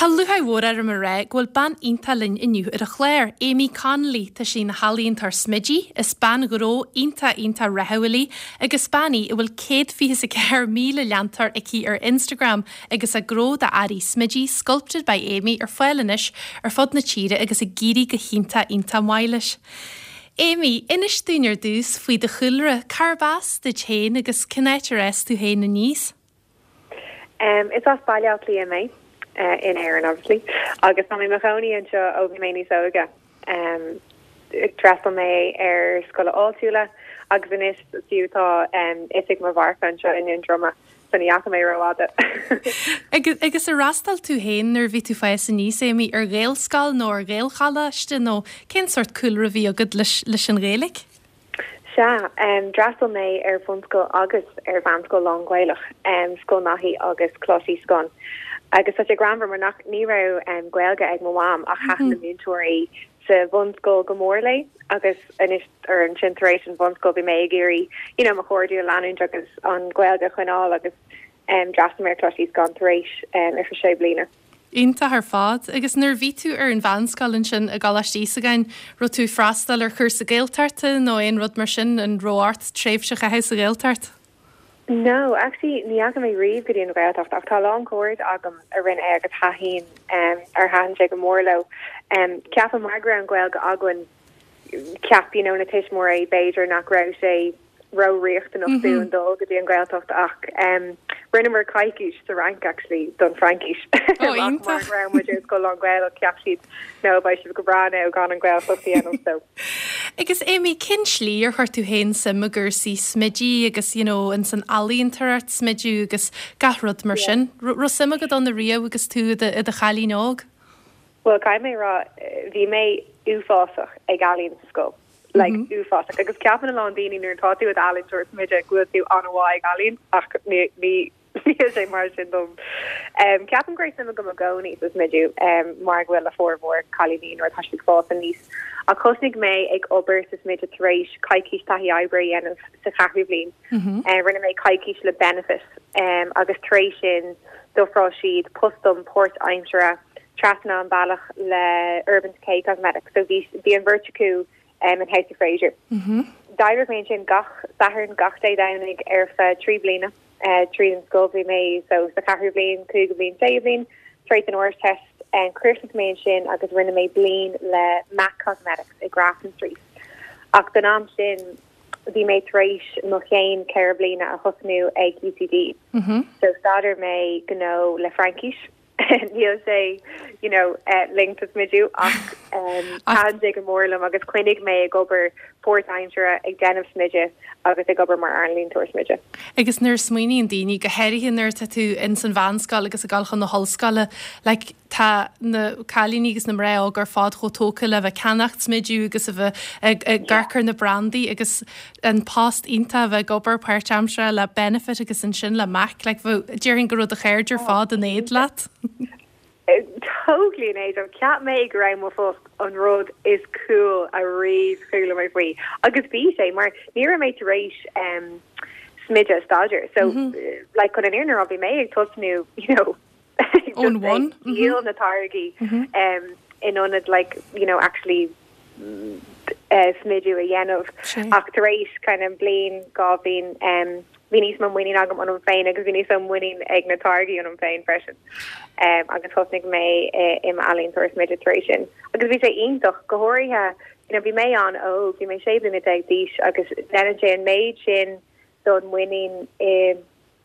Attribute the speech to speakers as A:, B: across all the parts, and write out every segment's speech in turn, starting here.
A: Tá lúcháir mhór orm a rá go bhfuil bean iontach linn inniu ar an chlár, Amy Connolly. Tá sí ina healaíontóir smididh, is bean ghnó iontach iontach rathúil í agus bean í a bhfuil 124,000 leantóir aici ar Instagram agus a gnó d'earraí smididh Sculpted by Amy ar fáil anois ar fud na tíre agus ag éirí go hiontach iontach maith leis. Amy, inis dúinn ar dtús faoi do chúlra, cárb as duit féin agus cén áit ar fhás tú féin aníos?
B: Is as Baile Átha Cliath mé, in Éirinn obviously, agus tá mé i mo chónaí anseo ó bhí mé níos óige. D'fhreastail mé ar scoile áitiúla agus anois fiú tá oifig mo mharca anseo i nDún Droma, so ní dheachaigh mé rófhada.
A: Agus ar fhreastail tú féin nuair a bhí tú ag fás aníos, Amy, ar Ghaelscoil nó ar Ghaelcholáiste nó cén sórt cúlra a bhí agat leis an Ghaeilge?
B: Sea, d'fhreastail mé ar bhunscoil agus ar mheánscoil lán-Ghaelach, Scoil Naithí agus Coláiste Íosagáin. Agus tá sé greannmhar mar nach, ní raibh Gaeilge ag mo mham ach thaitin na múinteoirí sa bhunscoil go mór léi agus anois, or ansin tar éis an bhunscoil bhí mé ag iarraidh you know mo chairde a leanúint agus an Ghaeilge a choinneáil agus d'fhreastail mé ar Choláiste Íosagáin tar éis ar feadh sé bliana.
A: Iontach ar fad. Agus nuair a bhí tú ar an mheánscoil ansin i gColáiste Íosagáin, raibh tú ag freastal ar chúrsa Gaeltachta nó aon rud mar sin? An raibh ort tréimhse a chaitheamh sa Ghaeltacht?
B: No, actually ní dheachaigh mé riamh go dtí an Ghaeltacht ach tá a lán cairde agam a rinne é agus thaitin, ar thaitin sé go mór leo. Ceapaim mar go raibh an Ghaeilge againn, cheap you know na tuismitheoirí b'fhéidir nach raibh sé ró-riachtanach dúinn dul go dtí an Ghaeltacht ach rinneamar coicís sa Fhrainc actually don Fhraincis.
A: Ó iontach!
B: Mar go raibh muid ar scoil lán-Ghaelach cheap siad no beidh sibh go breá now gan an Ghaeltacht a dhéanamh so.
A: Agus Amy, cén slí ar chuir tú féin suim i gcúrsaí smididh agus you know ins an ealaíontóireacht smididh agus gach rud mar sin? Raibh suim agat ann ariamh agus tú i do chailín óg?
B: Bhuel caithfidh mé a rá bhí mé uafásach ag ealaín sa scoil. Like uafásach. Agus ceapann a lán daoine nuair atá tú i d'ealaíontóir smididh go bhfuil tú an-mhaith ag ealaín ach ní ní níl sé mar sin dom. Um, ceapaim go raibh suim agam i gcónaí sa smideadh um, mar go bhfuil le formhór cailíní nuair atá siad ag fás aníos. Ach thosnaigh mé ag obair sa smideadh tar éis coicís taithí oibre a dhéanamh sa cheathrú bhliain. Mm -hmm. uh, rinne mé coicís le Benefit um, agus tar éis sin d'ofráil siad post dom páirtaimseartha trasna an bealach le Urban Decay Cosmetics so bhí bhí an bheirt acu um, in House of Fraser. Mm -hmm. D'oibrigh mé ansin gach Satharn gach Dé Domhnaigh ar feadh 3 bliana uh, tríd an scoil bhí mé so sa cheathrú bhliain, cúigiú bliain, séú bliain, tar éis an Ardteist um, chríochnaigh mé ansin agus rinne mé bliain le MAC Cosmetics i Grafton Street. Ach don am sin bhí mé tar éis mo chéim 4 bliana a thosnú ag UCD. Mm -hmm. So staidéar mé gnó le Fraincis. Níl sé you know linked to smidiú ach thaitin sé go mór liom agus choinnigh mé ag obair páirtaimseartha ag déanamh smididh agus ag obair mar ealaíontóir smididh.
A: Agus nuair a smaoiníonn daoine, go háirithe nuair atá tú ins an mheánscoil agus ag dul chun na hollscoile, like tá na cailíní agus na mná óga ar fad chomh tógtha le bheith ag ceannacht smidiú agus a bheith ag amharc ar na brandaí agus an post iontach a bheith ag obair páirtaimseartha le Benefit agus ansin le MAC, like bheadh, déarfainn go raibh do chairde ar fad in éad leat.
B: Totally in éad liom. Cheap mé go raibh mo phost an rud is cool a riamh chuala mé faoi agus bhí sé mar ní raibh mé tar éis um, smideadh a staidéar so mm -hmm. like chun an fhírinne a rá bhí mé ag tosnú you know
A: Ón bhun.
B: Díol na táirgí in ionad like you know actually smidiú a dhéanamh. Ach tar éis kind of bliain, 2 bhliain bhí níos mó muinín agam ionam féin agus bhí níos mó muinín ag na táirgí ionam féin freisin. Agus thosnaigh mé i m'ealaíontóir smididh tar éis sin. Agus bhí sé iontach, go háirithe you know bhí mé an-óg, bhí mé 16 bliana d'aois agus déanann sé an méid sin don mhuinín i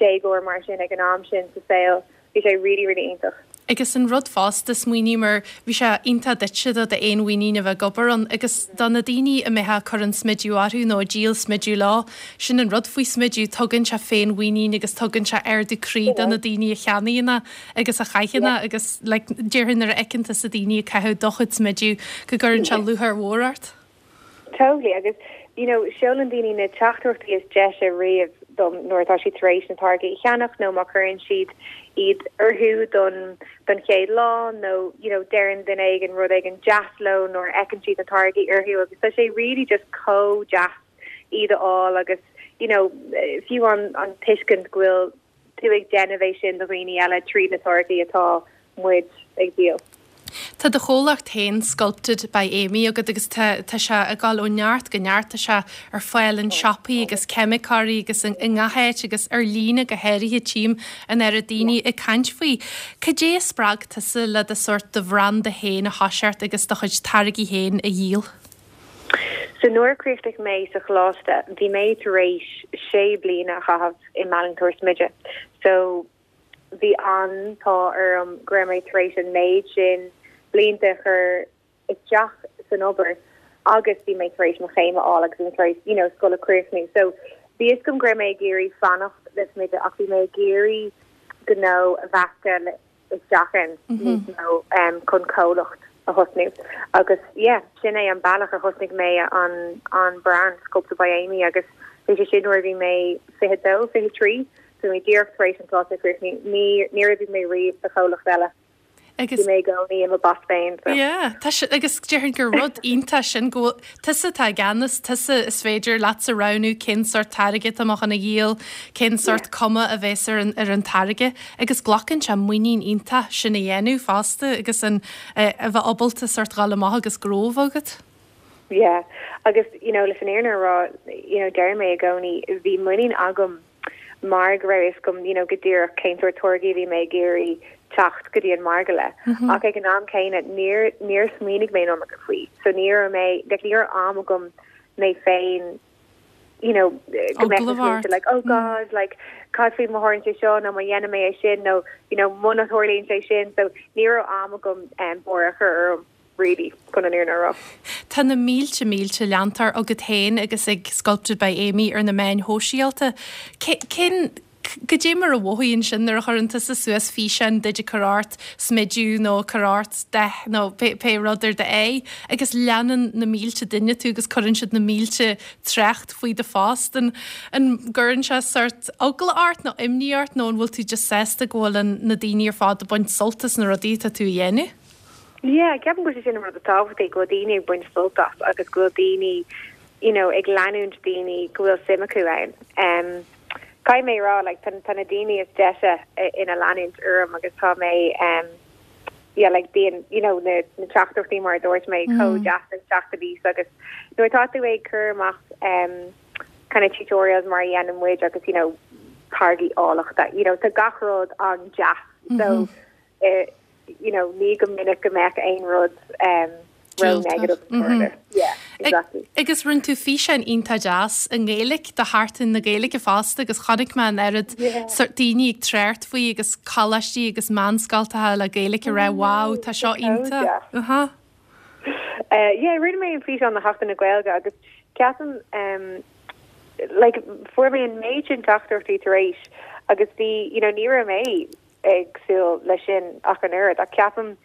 B: déagóir mar sin ag an am sin sa saol, bhí sé really really iontach.
A: Agus an rud fosta, smaoiním ar, bhí sé iontach duitse do d'fhéinmhuinín a bheith ag obair ann agus do na daoine a mbeifeá ag cur an smidiú orthu nó ag díol smidiú leo, sin an rud faoi smidiú, tugann sé féinmhuinín agus tugann sé ardú croí do na daoine a cheannaíonn é agus a chaitheann é agus like déarfainn nuair a fheiceann tusa daoine ag caitheamh do chuid smidiú go gcuireann sé lúcháir mhór ort.
B: Totally agus you know seolann daoine na teachtaireachtaí is deise riamh dom nuair atá siad tar éis na táirgí a cheannach nó má chuireann siad iad orthu don don chéad lá nó you know deireann duine éigin rud éigin deas leo nuair a fheiceann siad na táirgí orthu agus tá sé really just chomh deas iad a fháil agus you know fiú an an tuiscint go bhfuil tú ag déanamh é sin do dhaoine eile tríd na táirgí atá. muid ag díol.
A: Tá do chomhlacht féin, Sculpted by Aimee, agat agus tá tá sé ag dul ó neart go neart. Tá sé ar fáil in siopaí agus ceimiceoirí agus i ngach áit agus ar líne go háirithe tchím an oiread daoine ag caint faoi. Cad é a spreag tusa le do sórt do bhranda féin a thoiseacht agus do chuid táirgí féin a dhíol?
B: So nuair a chríochnaigh mé sa choláiste bhí mé tar éis sé bliana a chaitheamh i m'ealaíontóir smididh. So bhí an t-ádh orm go raibh mé tar éis an méid sin blianta a chur isteach san obair agus bhí mé tar éis mo chéim a fháil agus bhí mé tar éis you know scoil a chríochnú. So bhí fhios agam go raibh mé ag iarraidh fanacht le smideadh ach bhí mé ag iarraidh gnó a mheascadh le isteach ann níos mó chun comhlacht a thosnú agus yeah sin é an bealach a thosnaigh mé an an brand Sculpted by Aimee agus bhí sé sin nuair a bhí mé 22, 23 so bhí mé díreach tar éis an coláiste a chríochnú ní níor oibrigh mé riamh do chomhlacht eile.
A: Agus
B: bhí mé i gcónaí i mo boss féin
A: so. Yeah, tá sé agus déarfainn gur rud iontach sin go bhfuil tusa atá i gceannas, tusa is féidir leatsa roghnú cén sórt táirge atá mé chun a dhíol, cén sórt cuma a bheas ar an ar an táirge. Agus glacann sé muinín iontach sin a dhéanamh fosta agus an a bheith ábalta sórt dhul amach agus gnó a bheith agat.
B: Yeah, agus you know leis an fhírinne a rá, you know deir mé i gcónaí bhí muinín agam mar go raibh fhios agam you know go díreach cén sórt táirgí a bhí mé ag iarraidh teacht go dtí an margadh le. Ach ag an am céanna níor níor smaoinigh mé an iomarca faoi. So ní raibh mé like ní raibh am agam mé féin you know, go mbeadh na smaointe like, oh God, like, cad faoi má tharlaíonn sé seo nó má dhéanann mé é sin nó, you know, muna tharlaíonn sé sin. So ní raibh am agam um, buartha a chur orm, really, chun an fhírinne a rá.
A: Tá na mílte mílte leantóir agat féin agus ag Sculpted by Aimee ar na meáin shóisialta. Cén Goidé mar a mhothaíonn sin nuair a chuireann tusa suas físeán duit ag cur ort smideadh nó ag cur ort dath nó pé rud ar d'aghaidh agus leanann na mílte duine tú agus cuireann siad na mílte trácht faoi do phost. An an gcuireann sé sórt eagla ort nó imní ort nó an bhfuil tú just sásta go bhfuil an na daoine ar fad ag baint sult as na rudaí atá tú a dhéanamh?
B: Yeah, ceapaim go bhfuil sé sin an rud is tábhachtaí, go bhfuil daoine ag baint sult as agus go bhfuil daoine you know, ag leanúint daoine go bhfuil suim acu ann. Um, caithfidh mé a rá, like, tá, tá na daoine is deise ina leanúint orm agus tá mé, um, yeah, like, bíonn, you know, na, na teachtaireachtaí mar a dúirt mé, chomh deas ag teacht aníos agus nuair atá tú ag cur amach, um, kind of tutorials mar a dhéanann muid agus, you know, táirgí áilleachta, you know, tá gach rud an-deas. So, eh, you know, ní go minic go mbeadh aon rud um, ró-negative mm-hmm. Yeah,
A: exactly. Agus rinne tú físeán iontach deas i nGaeilge do Sheachtain na Gaeilge fosta agus chonaic mé an oiread sórt daoine ag trácht faoi agus coláistí agus meánscoltacha le Gaeilge ag rá wow tá seo iontach.
B: Uh-huh. Uh, yeah, rinne mé an físeán do Sheachtain na Gaeilge agus ceapaim um, like, fuair mé an méid sin teachtaireachtaí tar éis agus bhí, you know, ní raibh mé ag súil leis sin ach an oiread ach ceapaim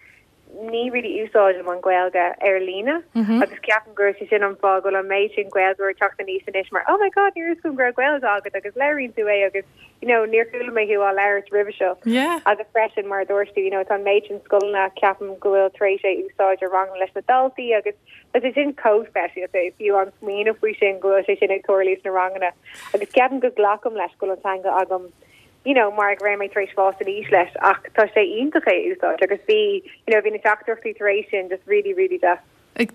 B: ní really úsáidim an Ghaeilge ar líne agus ceapaim gur sé sin an fáth go bhfuil an méid sin Gaeilgeoir ag teacht aníos anois mar oh my god ní raibh fhios agam go raibh Gaeilge agat agus labhraíonn tú é agus you know níor chuala mé thú á labhairt roimhe seo.
A: Yeah.
B: Agus freisin mar a dúirt tú you know tá an méid sin scoileanna ceapaim go bhfuil tar éis é úsáid i ranganna leis na daltaí agus tá sé sin chomh speisialta fiú an smaoineamh faoi sin go bhfuil sé sin ag tarlú sna ranganna agus ceapaim go glacaim leis go bhfuil an teanga agam you know, mar go raibh mé tar éis fás aníos leis ach tá sé iontach é a úsáid agus bhí, you know, bhí na teachtaireachtaí tar éis sin just really, really deas.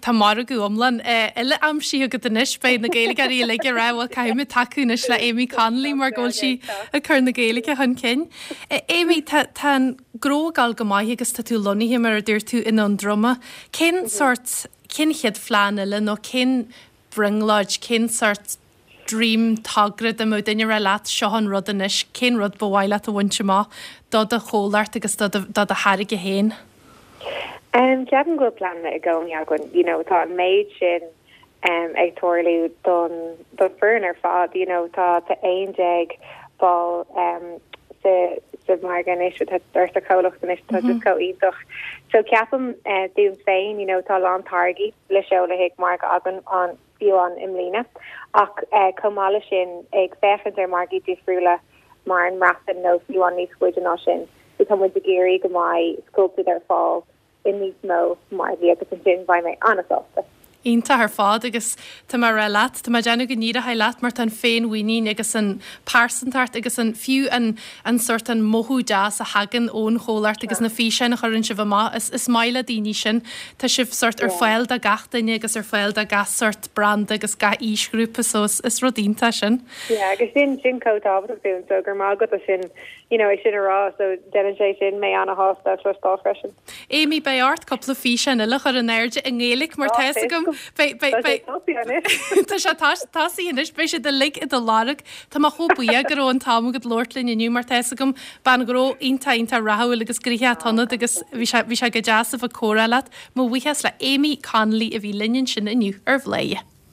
A: Tá margadh iomlán eile aimsithe agat anois, beidh na Gaeilgeoirí uilig ag rá bhuel caithfidh muid tacú anois le Aimee Connolly mar go bhfuil sí ag cur na Gaeilge chun cinn. Aimee, tá tá an gnó ag dul go maith agus tá tú lonnaithe mar a dúirt tú i nDún Droma. Cén sórt, cén chéad phlean eile nó cén brionglóid, cén sórt dream togra dá mbeadh duine ag rá leat seo an rud anois, cén rud ba mhaith leat a bhaint amach do do chomhlacht agus do do do tháirge féin?
B: Em, ceapaim go bhfuil pleananna i gcónaí againn, you know, tá an méid sin em ag tarlú don don foireann ar fad, you know, tá tá 11 ball em sa sa mhargadh anois tá ar sa chomhlacht anois tá just chomh iontach. So ceapaim eh dúinn féin, you know, tá a lán táirgí le seoladh chuig margadh againn an fiú amháin i mbliana, ach chomh maith leis sin, ag féachaint ar mhargaí difriúla mar an mBreatain nó fiú amháin níos faide ná sin. So tá muid ag iarraidh go mbeidh Sculpted ar fáil i níos mó margaí agus ansin beidh mé an-sásta.
A: Iontach ar fad agus tá mé ag rá leat, tá mé ag déanamh go n-éireoidh leat mar tá an féinmhuinín agus an pearsantacht agus an, fiú an, an sórt, an mothú deas a thagann ón chomhlacht agus na físeáin a chuireann sibh amach, is, is maith le daoine sin. Tá sibh sórt ar fáil do gach duine agus ar fáil do gach sórt branda agus gach aoisghrúpa so is, is rud iontach sin.
B: Yeah agus sin, sin chomh tábhachtach dúinn so go raibh maith agat as sin, you know, é sin a rá so déanann sé sin mé ana-shásta a chloisteáil freisin.
A: Amy, beidh ort cúpla físeán eile a chur in airde i nGaeilge mar tá fhios agam beidh beidh beidh Tá sé tosaithe anois, beidh siad uilig i do lorg. Tá mé chomh buíoch go raibh an t-am agat labhairt linn inniu mar tá fhios agam bean ghnó iontach iontach rathúil agus gnoitheach atá ionat agus bhí sé bhí sé go deas a bheith ag comhrá leat. Mo bhuíochas le Amy Connolly a bhí linn ansin inniu ar Bhladhaire.